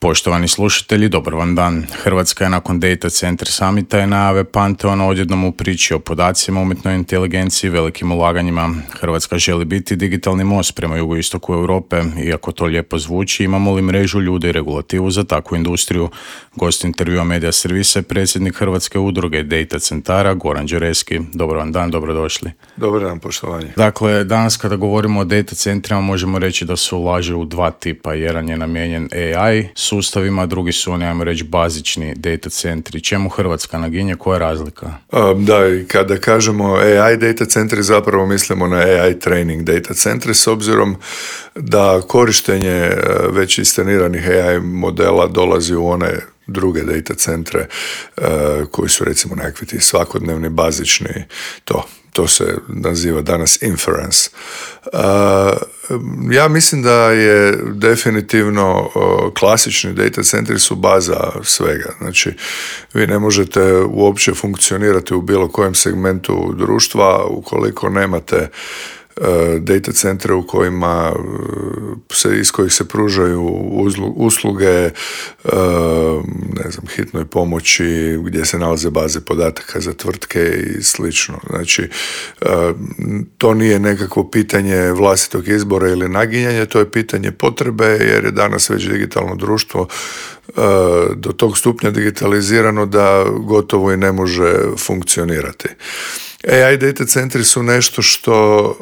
Poštovani slušatelji, dobar vam dan. Hrvatska je nakon Data Center Summita i najave Pantheona odjednom u priči o podacima, umjetnoj inteligenciji, velikim ulaganjima. Hrvatska želi biti digitalni most prema jugoistoku Europe. Iako to lijepo zvuči, imamo li mrežu ljudi i regulativu za takvu industriju? Gost intervjua Media Servisa je predsjednik Hrvatske udruge Data Centara, Goran Đureski. Dobar vam dan, dobrodošli. Dobar dan, poštovanje. Dakle, danas kada govorimo o data centrima možemo reći da se ulaže u dva tipa. Jedan je namijenjen AI sustavima, drugi su oni, ajmo reći, bazični data centri. Čemu Hrvatska naginje, koja je razlika? Da, i kada kažemo AI data centri zapravo mislimo na AI training data centri, s obzirom da korištenje već instaliranih AI modela dolazi u one druge data centre koji su recimo nekakvi ti svakodnevni, bazični, to se naziva danas inference. Ja mislim da je definitivno klasični data centri su baza svega. Znači, vi ne možete uopće funkcionirati u bilo kojem segmentu društva ukoliko nemate data centre u kojima iz kojih se pružaju usluge, ne znam, hitnoj pomoći, gdje se nalaze baze podataka za tvrtke i slično. Znači, to nije nekakvo pitanje vlastitog izbora ili naginjanja, to je pitanje potrebe, jer je danas već digitalno društvo do tog stupnja digitalizirano da gotovo i ne može funkcionirati. AI data centri su nešto što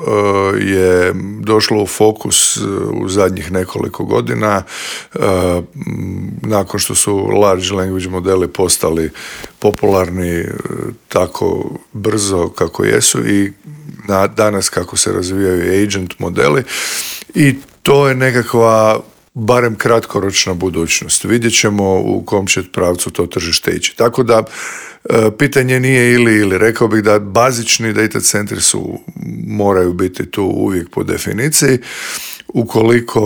je došlo u fokus u zadnjih nekoliko godina nakon što su large language modeli postali popularni tako brzo kako jesu i danas kako se razvijaju agent modeli, i to je nekakva barem kratkoročna budućnost. Vidjet ćemo u kom će pravcu to tržište ići. Tako da pitanje nije ili. Rekao bih da bazični data centri moraju biti tu uvijek po definiciji. Ukoliko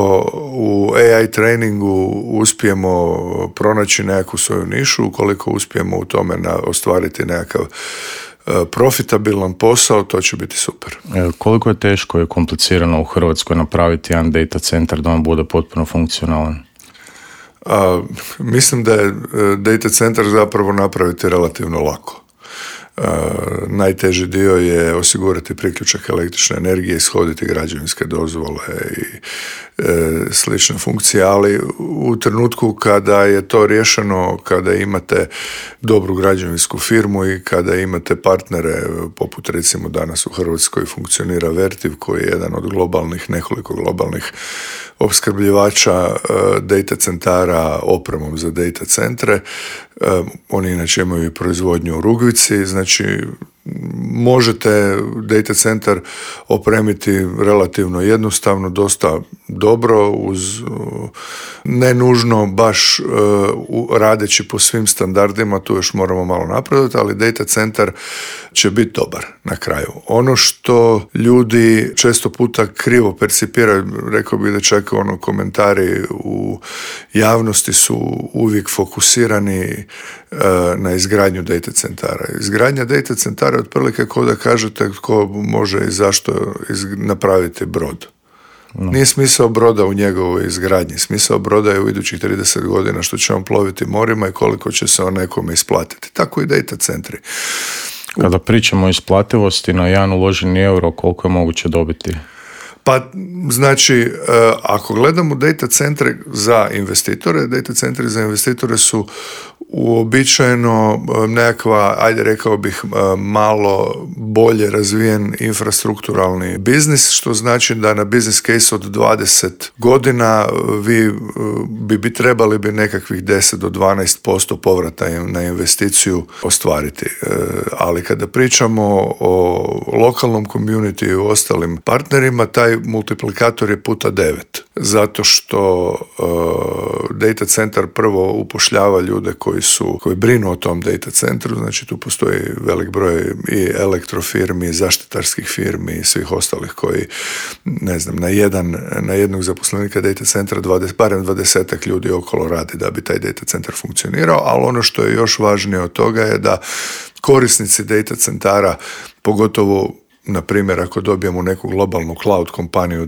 u AI treningu uspijemo pronaći nekakvu svoju nišu, ukoliko uspijemo u tome ostvariti nekakav profitabilan posao, to će biti super. Koliko je teško i komplicirano u Hrvatskoj napraviti jedan data centar da on bude potpuno funkcionalan? Mislim da je data centar zapravo napraviti relativno lako. Najteži dio je osigurati priključak električne energije, ishoditi građevinske dozvole i slične funkcije, ali u trenutku kada je to riješeno, kada imate dobru građevinsku firmu i kada imate partnere, poput recimo danas u Hrvatskoj funkcionira Vertiv, koji je jedan od nekoliko globalnih opskrbljivača data centara opremom za data centre. Oni inače imaju i proizvodnju u Rugvici, znači možete data centar opremiti relativno jednostavno, dosta dobro, uz ne nužno baš radeći po svim standardima, tu još moramo malo napredovati, ali data centar će biti dobar na kraju. Ono što ljudi često puta krivo percipiraju, rekao bih da čak komentari u javnosti su uvijek fokusirani na izgradnju data centara. Izgradnja data centara je otprilike kao da kažete tko može i zašto napraviti brod. No. Nije smisao broda u njegovoj izgradnji. Smisao broda je u idućih 30 godina što će on ploviti morima i koliko će se on nekome isplatiti. Tako i data centri. Kada pričamo o isplativosti, na jedan uloženi euro, koliko je moguće dobiti? Pa, znači, ako gledamo data centre za investitore, data centri za investitore su uobičajeno nekakva, ajde rekao bih, malo bolje razvijen infrastrukturalni biznis, što znači da na business case od 20 godina vi bi trebali nekakvih 10 do 12% povrata na investiciju ostvariti. Ali kada pričamo o lokalnom community i ostalim partnerima, taj multiplikator je puta 9. Zato što data centar prvo upošljava ljude koji brinu o tom data centru, znači tu postoji velik broj i elektrofirmi, zaštitarskih firmi i svih ostalih koji, ne znam, na jednog zaposlenika data centra barem 20 ljudi okolo radi da bi taj data centar funkcionirao, ali ono što je još važnije od toga je da korisnici data centara, pogotovo na primjer ako dobijemo neku globalnu cloud kompaniju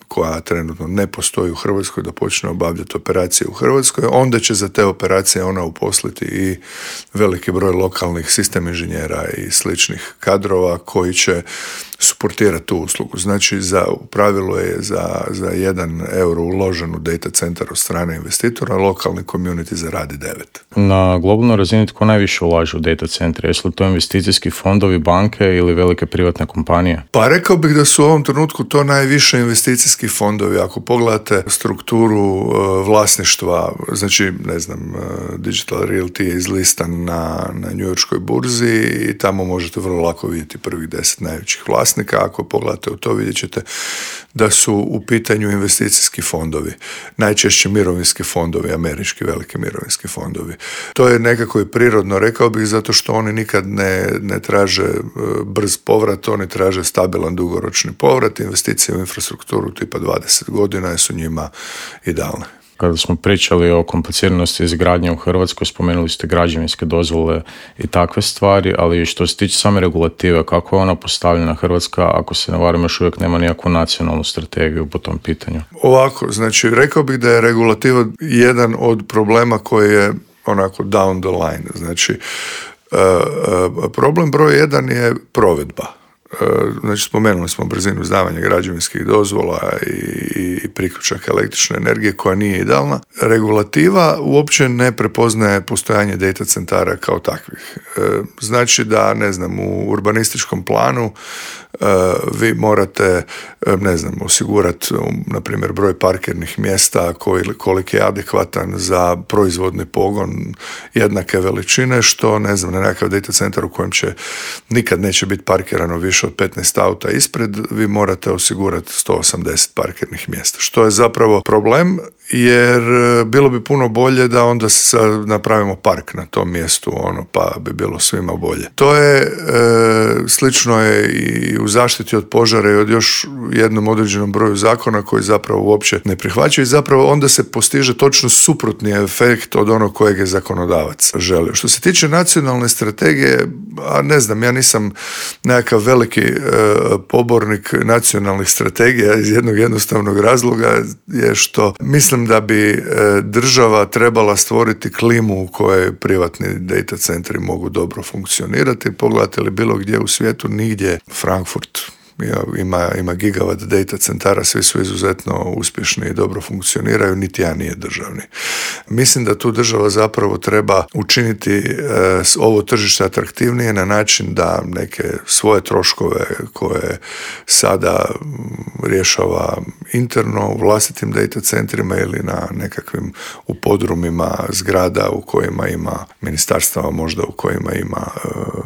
koja trenutno ne postoji u Hrvatskoj da počne obavljati operacije u Hrvatskoj, onda će za te operacije ona uposliti i veliki broj lokalnih sistem inženjera i sličnih kadrova koji će suportirati tu uslugu. Znači, u pravilu je za 1 euro uložen u data centar od strane investitora, lokalni community zaradi 9. Na globalnoj razini tko najviše ulaže u data centre? Jesu li to investicijski fondovi, banke ili velike privatne kompanije? Pa rekao bih da su u ovom trenutku to najviše investicijski fondovi. Ako pogledate strukturu vlasništva, znači, ne znam, Digital Realty je izlistan na njujorškoj burzi i tamo možete vrlo lako vidjeti prvih 10 najvećih vlasnika. Ako pogledate u to, vidjet ćete da su u pitanju investicijski fondovi. Najčešće mirovinski fondovi, američki veliki mirovinski fondovi. To je nekako i prirodno, rekao bih, zato što oni nikad ne traže brz povrat, oni traže stabilan dugoročni povrat. Investicije u infrastrukturu tipa 20 godina su njima idealne. Kada smo pričali o kompliciranosti izgradnje u Hrvatskoj, spomenuli ste građevinske dozvole i takve stvari, ali što se tiče same regulative, kako je ona postavljena Hrvatska, ako se ne varam, još uvijek nema nikakvu nacionalnu strategiju po tom pitanju? Ovako, znači, rekao bih da je regulativa jedan od problema koji je onako down the line. Znači, problem broj 1 je provedba. Znači, spomenuli smo brzinu izdavanja građevinskih dozvola i priključaka električne energije koja nije idealna. Regulativa uopće ne prepoznaje postojanje data centara kao takvih. Znači da, ne znam, u urbanističkom planu vi morate, ne znam, osigurati, na primjer, broj parkirnih mjesta koliki je adekvatan za proizvodni pogon jednake veličine, što, ne znam, na nekakav data centar u kojem nikad neće biti parkirano više od 15 auta ispred, vi morate osigurati 180 parkirnih mjesta. Što je zapravo problem, jer bilo bi puno bolje da onda napravimo park na tom mjestu, pa bi bilo svima bolje. To je slično je i u zaštiti od požara i od još jednom određenom broju zakona koji zapravo uopće ne prihvaćaju i zapravo onda se postiže točno suprotni efekt od onog kojeg je zakonodavac želio. Što se tiče nacionalne strategije, ne znam, ja nisam nekakav veliki pobornik nacionalnih strategija iz jednog jednostavnog razloga je što mislim da bi država trebala stvoriti klimu u kojoj privatni data centri mogu dobro funkcionirati. Pogledate li bilo gdje u svijetu, nigdje Frankfurt ima gigavat data centara, svi su izuzetno uspješni i dobro funkcioniraju, niti jedan nije državni. Mislim da tu država zapravo treba učiniti ovo tržište atraktivnije na način da neke svoje troškove koje sada rješava interno u vlastitim data centrima ili na nekakvim u podrumima zgrada u kojima ima ministarstava, možda u kojima ima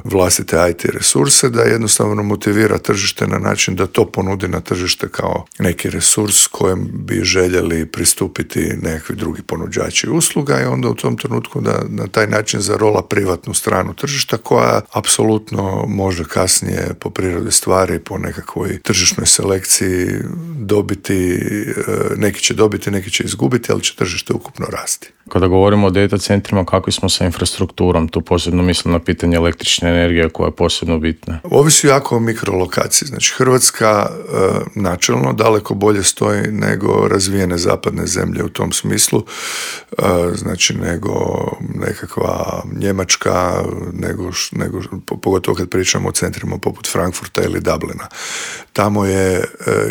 vlastite IT resurse, da jednostavno motivira tržište na način da to ponudi na tržište kao neki resurs kojem bi željeli pristupiti nekakvi drugi ponuđači usluga i onda u tom trenutku da na taj način zarola privatnu stranu tržišta koja apsolutno može kasnije po prirodi stvari, po nekakvoj tržišnoj selekciji dobiti, neki će dobiti, neki će izgubiti, ali će tržište ukupno rasti. Kada govorimo o data centrima, kakvi smo sa infrastrukturom? Tu posebno mislim na pitanje električne energije koja je posebno bitna. Ovisi jako o mikrolokaciji. Znači, Hrvatska načelno daleko bolje stoji nego razvijene zapadne zemlje u tom smislu, znači nego nekakva Njemačka, nego pogotovo kad pričamo o centrima poput Frankfurta ili Dublina. Tamo je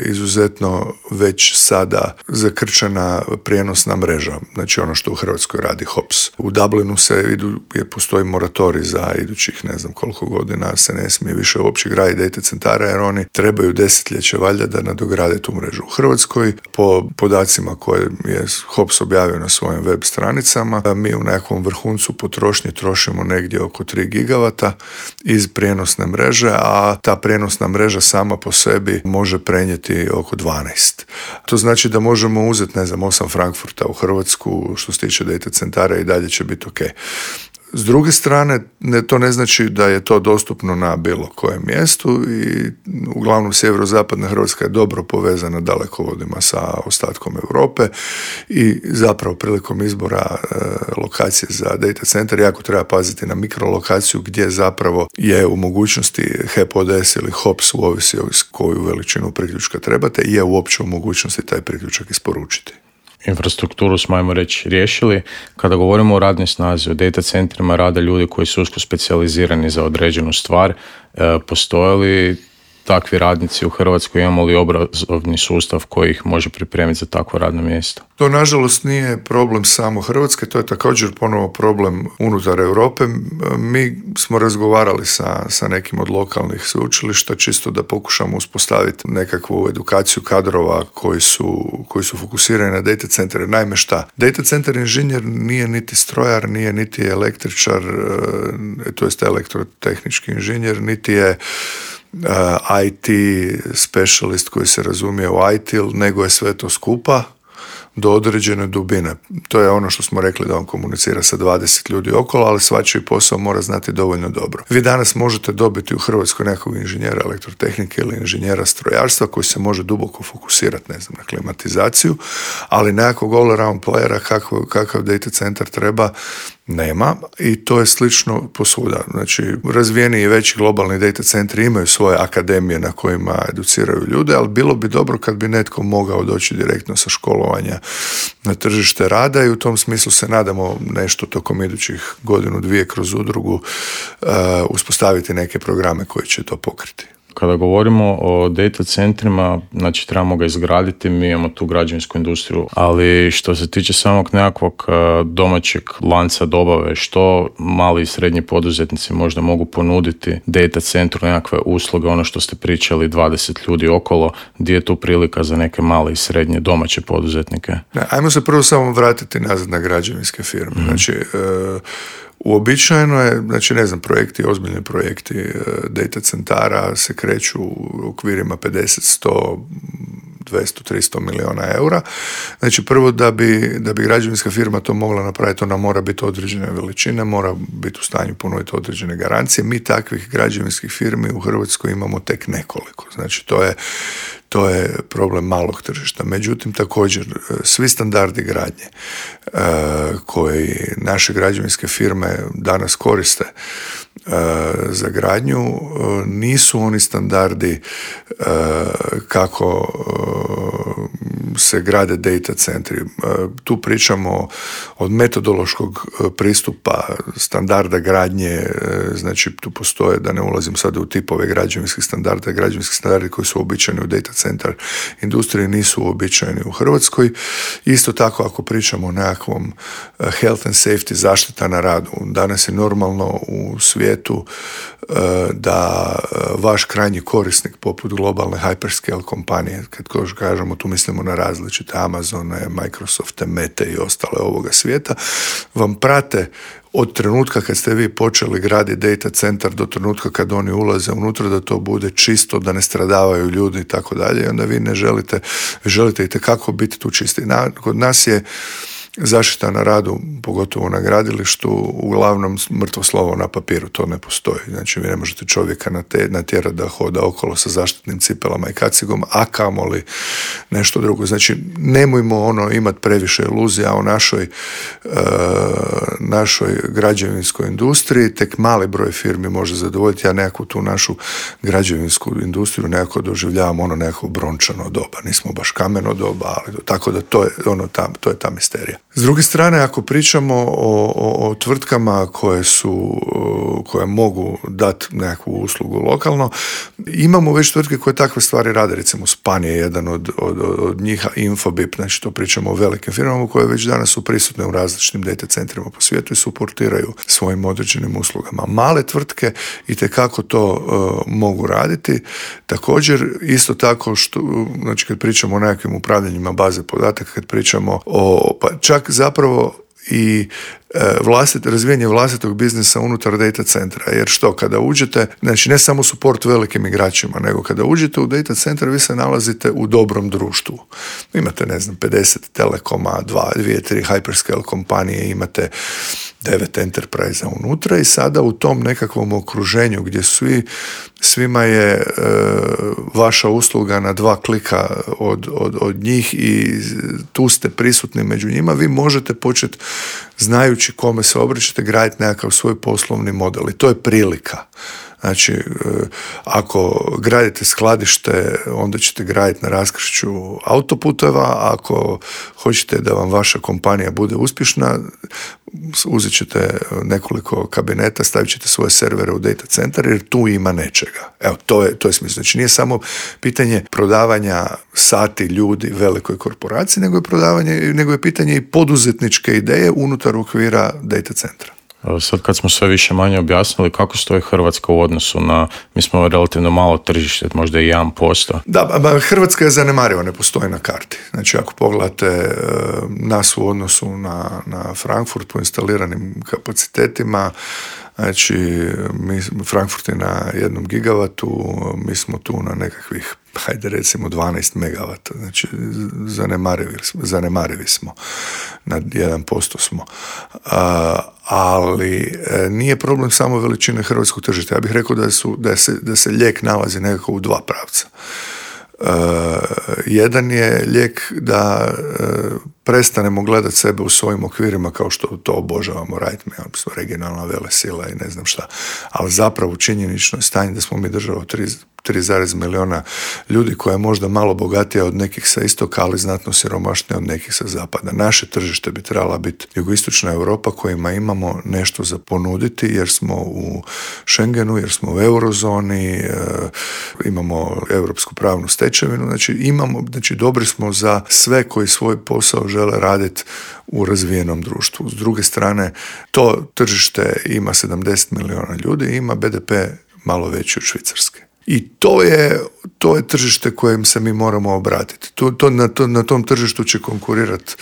izuzetno već sada zakrčena prijenosna mreža, znači ono što u Hrvatskoj radi HOPS. U Dublinu postoji moratorij za idućih ne znam koliko godina, se ne smije više uopće graditi data centara jer oni trebaju desetljeće valjda da nadograde tu mrežu. U Hrvatskoj, po podacima koje je HOPS objavio na svojim web stranicama, mi u nekom vrhuncu potrošnje trošimo negdje oko 3 gigavata iz prijenosne mreže, a ta prijenosna mreža sama po sebi može prenijeti oko 12. To znači da možemo uzeti, ne znam, 8 Frankfurta u Hrvatsku što se tiče data centara i dalje će biti ok. S druge strane, to ne znači da je to dostupno na bilo kojem mjestu i uglavnom sjeverozapadna Hrvatska je dobro povezana dalekovodima sa ostatkom Europe i zapravo prilikom izbora lokacije za data center jako treba paziti na mikrolokaciju gdje zapravo je u mogućnosti HEP ODS ili HOPS, ovisi koju veličinu priključka trebate, je uopće u mogućnosti taj priključak isporučiti. Infrastrukturu smo, ajmo reći, riješili. Kada govorimo o radnoj snazi, o data centrima rade ljudi koji su usko specijalizirani za određenu stvar. Postoje li takvi radnici u Hrvatskoj, imamo li obrazovni sustav koji ih može pripremiti za takvo radno mjesto? To nažalost nije problem samo Hrvatske, to je također ponovo problem unutar Europe. Mi smo razgovarali sa nekim od lokalnih sveučilišta čisto da pokušamo uspostaviti nekakvu edukaciju kadrova koji su fokusirani na data centre. Naime šta? Data center inženjer nije niti strojar, nije niti električar, to jest elektrotehnički inženjer, niti je IT specialist koji se razumije u IT, nego je sve to skupa do određene dubine. To je ono što smo rekli da on komunicira sa 20 ljudi okolo, ali svačiji posao mora znati dovoljno dobro. Vi danas možete dobiti u Hrvatskoj nekog inženjera elektrotehnike ili inženjera strojarstva koji se može duboko fokusirati, ne znam, na klimatizaciju, ali nekakvog all-around playera kakav data centar treba nema i to je slično posvuda. Znači, razvijeni i veći globalni data centri imaju svoje akademije na kojima educiraju ljude, ali bilo bi dobro kad bi netko mogao doći direktno sa školovanja na tržište rada i u tom smislu se nadamo nešto tokom idućih godinu, dvije kroz udrugu uspostaviti neke programe koji će to pokriti. Kada govorimo o data centrima, znači trebamo ga izgraditi, mi imamo tu građevinsku industriju, ali što se tiče samog nekakvog domaćeg lanca dobave, što mali i srednji poduzetnici možda mogu ponuditi data centru, nekakve usluge, ono što ste pričali, 20 ljudi okolo, gdje je tu prilika za neke male i srednje domaće poduzetnike? Ajmo se prvo samo vratiti nazad na građevinske firme. Znači, uobičajeno je, znači ne znam, ozbiljni projekti data centara se kreću u okvirima 50, 100, 200, 300 milijuna eura. Znači prvo da bi građevinska firma to mogla napraviti, ona mora biti određene veličine, mora biti u stanju ponuditi određene garancije. Mi takvih građevinskih firmi u Hrvatskoj imamo tek nekoliko. Znači to je problem malog tržišta. Međutim, također, svi standardi gradnje koji naše građevinske firme danas koriste za gradnju nisu oni standardi kako se grade data centri. Tu pričamo od metodološkog pristupa, standarda gradnje, znači tu postoje, da ne ulazim sada u tipove građevinskih standardi koji su uobičajeni u data centar industriji nisu uobičajeni u Hrvatskoj. Isto tako ako pričamo o nekakvom health and safety, zaštita na radu, danas je normalno u svijetu da vaš krajnji korisnik poput globalne hyperscale kompanije, kad kažemo tu mislimo na različite Amazone, Microsofte, Mete i ostale ovoga svijeta, vam prate od trenutka kad ste vi počeli graditi data centar do trenutka kad oni ulaze unutra, da to bude čisto, da ne stradavaju ljudi i tako dalje. I onda vi ne želite itekako biti tu čisti. Kod nas je zaštita na radu, pogotovo na gradilištu, uglavnom mrtvo slovo na papiru, to ne postoji. Znači, vi ne možete čovjeka natjerati da hoda okolo sa zaštitnim cipelama i kacigom, a kamoli nešto drugo. Znači, nemojmo imati previše iluzija o našoj građevinskoj industriji, tek mali broj firmi može zadovoljiti. Ja nekako tu našu građevinsku industriju nekako doživljavam nekako brončano doba. Nismo baš kameno doba, ali tako da to je ta misterija. S druge strane, ako pričamo o tvrtkama koje mogu dati nekakvu uslugu lokalno, imamo već tvrtke koje takve stvari rade, recimo Span je jedan od njih, Infobip, znači to pričamo o velikim firmama koje već danas su prisutne u različitim data centrima po svijetu i suportiraju svojim određenim uslugama. Male tvrtke itekako to mogu raditi. Također, isto tako, znači kad pričamo o nekakvim upravljanjima baze podataka, kad pričamo čak zapravo i razvijanje vlastitog biznisa unutar data centra, jer što, kada uđete, znači ne samo suport velikim igračima, nego kada uđete u data centar, vi se nalazite u dobrom društvu. Imate, 50 telekoma, 2-3 hyperscale kompanije, imate 9 enterprise unutra i sada u tom nekakvom okruženju gdje svima je vaša usluga na 2 klika od njih i tu ste prisutni među njima, vi možete početi, znajući kome se obraćate, graditi nekakav svoj poslovni model i to je prilika. Znači, ako gradite skladište, onda ćete graditi na raskršću autoputeva, ako hoćete da vam vaša kompanija bude uspješna, uzet ćete nekoliko kabineta, stavit ćete svoje servere u data centar jer tu ima nečega. Evo, to je smisla. Znači, nije samo pitanje prodavanja sati ljudi velikoj korporaciji, nego je pitanje i poduzetničke ideje unutar okvira data centra. Sad kad smo sve više manje objasnili kako stoji Hrvatska u odnosu na, mi smo relativno malo tržište, možda i 1%. Da, Hrvatska je zanemariva, ne postoji na karti. Znači ako pogledate nas u odnosu na Frankfurt po instaliranim kapacitetima, znači Frankfurt je na 1 gigavatu, mi smo tu na nekakvih, hajde recimo 12 megavata, znači zanemarivi smo, na 1% smo. Ali nije problem samo veličine hrvatskog tržišta. Ja bih rekao da se lijek nalazi nekako u 2 pravca. Jedan je lijek da prestanemo gledati sebe u svojim okvirima kao što to obožavamo raditi, mi smo regionalna velesila i ne znam šta, ali zapravo činjenično je stanje da smo mi država 3,1 milijuna ljudi koja je možda malo bogatija od nekih sa istoka, ali znatno siromašnija od nekih sa zapada. Naše tržište bi trebala biti jugoistočna Europa kojima imamo nešto za ponuditi jer smo u Schengenu, jer smo u eurozoni, imamo europsku pravnu stečevinu, znači dobri smo za sve koji svoj posao žele raditi u razvijenom društvu. S druge strane, to tržište ima 70 milijuna ljudi i ima BDP malo veći od Švicarske. I to je tržište kojem se mi moramo obratiti. Na tom tržištu će konkurirati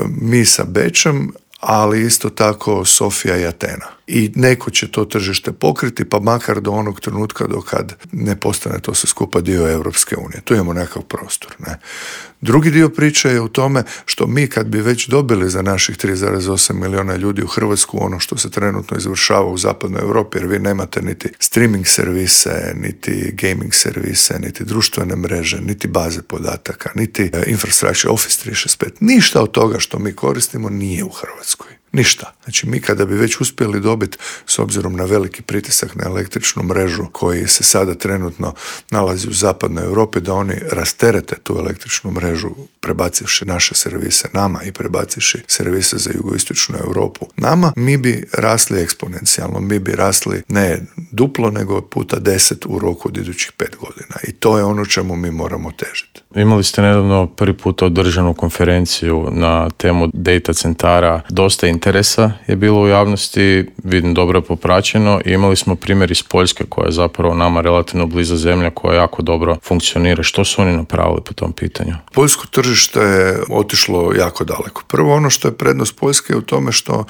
mi sa Bečem, ali isto tako Sofija i Atena. I neko će to tržište pokriti, pa makar do onog trenutka do kad ne postane to sve skupa dio Europske unije. Tu imamo nekakav prostor. Ne? Drugi dio priče je u tome što mi kad bi već dobili za naših 3,8 milijuna ljudi u Hrvatsku ono što se trenutno izvršava u zapadnoj Europi, jer vi nemate niti streaming servise, niti gaming servise, niti društvene mreže, niti baze podataka, niti infrastructure, Office 365. Ništa od toga što mi koristimo nije u Hrvatskoj. Ništa. Znači mi kada bi već uspjeli dobiti, s obzirom na veliki pritisak na električnu mrežu koji se sada trenutno nalazi u zapadnoj Europi, da oni rasterete tu električnu mrežu prebacivši naše servise nama i prebacivši servise za jugoistočnu Europu nama, mi bi rasli eksponencijalno, mi bi rasli ne duplo nego puta 10 u roku od idućih 5 godina. I to je ono čemu mi moramo težiti. Imali ste nedavno prvi puta održanu konferenciju na temu data centara. Dosta interesa je bilo u javnosti, vidim dobro je popraćeno i imali smo primjer iz Poljske koja je zapravo nama relativno bliza zemlja koja jako dobro funkcionira. Što su oni napravili po tom pitanju? Poljsko tržište je otišlo jako daleko. Prvo ono što je prednost Poljske je u tome što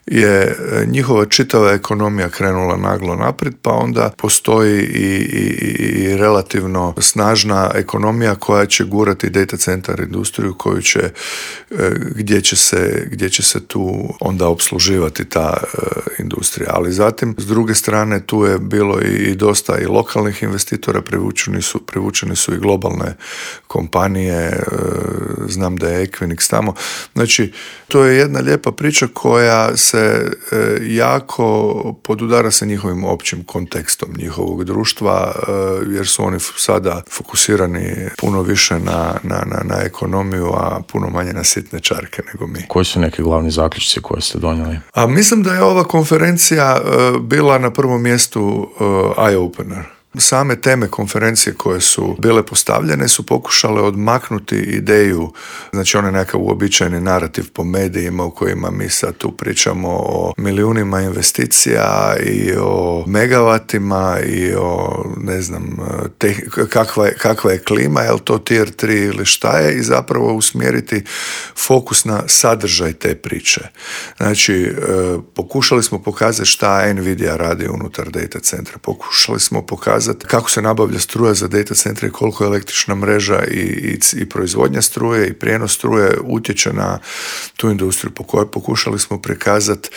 je njihova čitava ekonomija krenula naglo naprijed, pa onda postoji i relativno snažna ekonomija koja će gurati data centar industriju koju će, gdje će se tu onda opsluživati ta industrija. Ali zatim, s druge strane, tu je bilo i dosta i lokalnih investitora, privučeni su i globalne kompanije, znam da je Equinix tamo. Znači, to je jedna lijepa priča koja se jako podudara sa njihovim općim kontekstom njihovog društva, jer su oni sada fokusirani puno više na ekonomiju, a puno manje na sitne čarke nego mi. Koji su neki glavni zaključci koje ste donijeli? Mislim da je ova konferencija bila na prvom mjestu eye-opener. Same teme konferencije koje su bile postavljene su pokušale odmaknuti ideju, znači onaj nekakav uobičajeni narativ po medijima u kojima mi sad tu pričamo o milijunima investicija i o megavatima i o ne znam kakva je klima, je li to tier 3 ili šta je, i zapravo usmjeriti fokus na sadržaj te priče. Znači pokušali smo pokazati šta Nvidia radi unutar data centra, pokušali smo pokazati prikazati kako se nabavlja struja za data centre i koliko je električna mreža i proizvodnja struje i prijenos struje utječe na tu industriju. Pokušali smo prikazati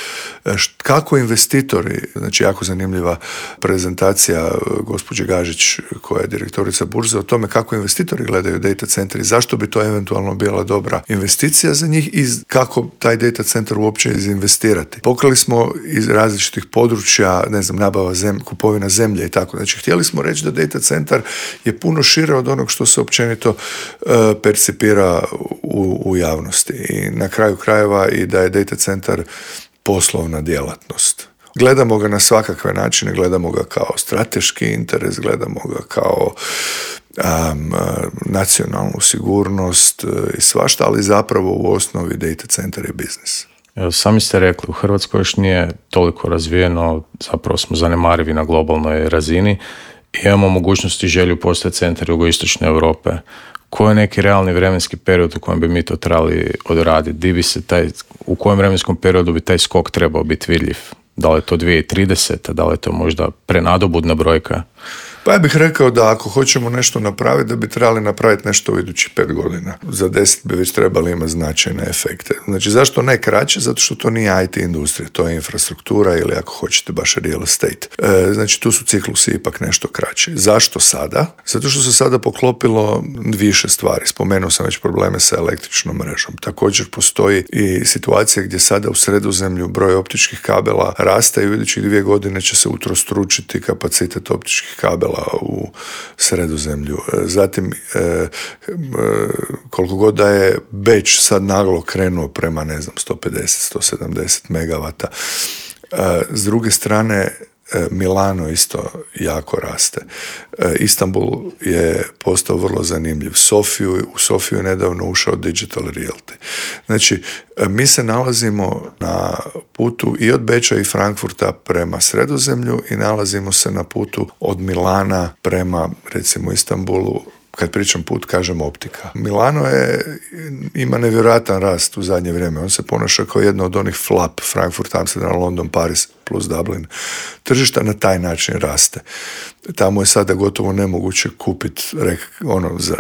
kako investitori, znači jako zanimljiva prezentacija gospođe Gažić koja je direktorica burze o tome kako investitori gledaju data centri, zašto bi to eventualno bila dobra investicija za njih i kako taj data centar uopće izinvestirati. Pokrili smo iz različitih područja, ne znam, nabava kupovina zemlje i tako. Znači, htjeli smo reći da data centar je puno šire od onog što se općenito percipira u javnosti. I na kraju krajeva i da je data centar poslovna djelatnost. Gledamo ga na svakakve načine, gledamo ga kao strateški interes, gledamo ga kao nacionalnu sigurnost i svašta, ali zapravo u osnovi data centar je biznis. Sami ste rekli, u Hrvatskoj još nije toliko razvijeno, zapravo smo zanemarivi na globalnoj razini i imamo mogućnosti i želju postati centar jugoistočne Europe. Koji je neki realni vremenski period u kojem bi mi to trebali odraditi? U kojem vremenskom periodu bi taj skok trebao biti vidljiv? Da li je to 2030, da li je to možda prenadobudna brojka? Pa ja bih rekao da ako hoćemo nešto napraviti, da bi trebali napraviti nešto u idućih 5 godina. Za 10 bi već trebali imati značajne efekte. Znači, zašto ne kraće? Zato što to nije IT industrija, to je infrastruktura ili ako hoćete baš real estate. Znači, tu su ciklusi ipak nešto kraći. Zašto sada? Zato što se sada poklopilo više stvari. Spomenuo sam već probleme sa električnom mrežom. Također postoji i situacija gdje sada u Sredozemlju broj optičkih kabela raste i u idućih 2 godine će se utrostručiti kapacitet optičkih kabela u Sredozemlju. Zatim, koliko god da je Beč sad naglo krenuo prema, 150-170 megavata. S druge strane, Milano isto jako raste. Istanbul je postao vrlo zanimljiv. U Sofiju je nedavno ušao Digital Realty. Znači, mi se nalazimo na putu i od Beča i Frankfurta prema Sredozemlju i nalazimo se na putu od Milana prema, recimo, Istanbulu. Kad pričam put, kažem optika. Milano ima nevjerojatan rast u zadnje vrijeme. On se ponaša kao jedno od onih flap, Frankfurt, Amsterdam, London, Paris plus Dublin. Tržišta na taj način raste. Tamo je sada gotovo nemoguće kupiti,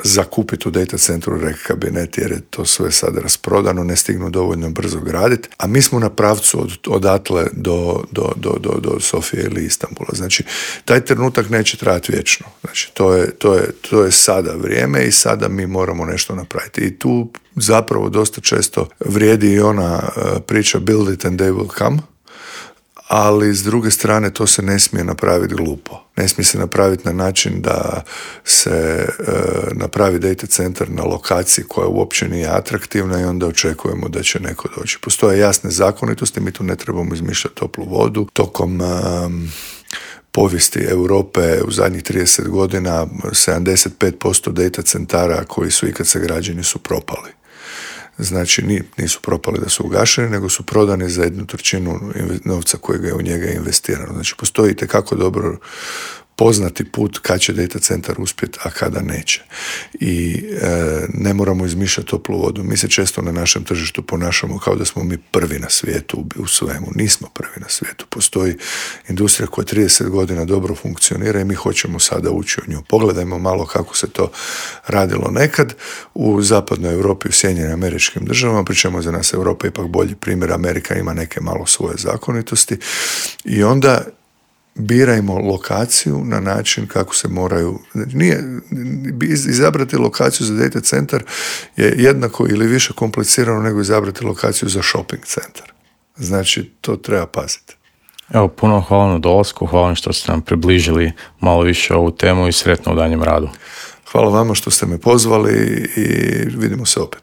zakupiti u data centru rek kabinet, jer je to sve sada rasprodano, ne stignu dovoljno brzo graditi, a mi smo na pravcu odatle do Sofije ili Istanbula. Znači, taj trenutak neće trajati vječno. Znači, to je sada vrijeme i sada mi moramo nešto napraviti. I tu zapravo dosta često vrijedi i ona priča build it and they will come, ali s druge strane to se ne smije napraviti glupo. Ne smije se napraviti na način da se napravi data centar na lokaciji koja uopće nije atraktivna i onda očekujemo da će neko doći. Postoje jasne zakonitosti, mi tu ne trebamo izmišljati toplu vodu. Tokom povijesti Europe u zadnjih 30 godina 75% data centara koji su ikad sagrađeni su propali. Znači, nisu propali da su ugašeni, nego su prodani za 1/3 novca kojega je u njega investirano. Znači, postoji itekako dobro poznati put kad će data centar uspjeti, a kada neće. I ne moramo izmišljati toplu vodu. Mi se često na našem tržištu ponašamo kao da smo mi prvi na svijetu u svemu. Nismo prvi na svijetu. Postoji industrija koja 30 godina dobro funkcionira i mi hoćemo sada ući u nju. Pogledajmo malo kako se to radilo nekad u zapadnoj Europi, u Sjedinjenim Američkim Državama, pri čemu za nas Europa ipak bolji primjer. Amerika ima neke malo svoje zakonitosti i onda birajmo lokaciju na način kako se moraju. Izabrati lokaciju za data centar je jednako ili više komplicirano nego izabrati lokaciju za shopping centar. Znači, to treba paziti. Evo, puno hvala na dolasku, hvala što ste nam približili malo više ovu temu i sretno u danjem radu. Hvala vama što ste me pozvali i vidimo se opet.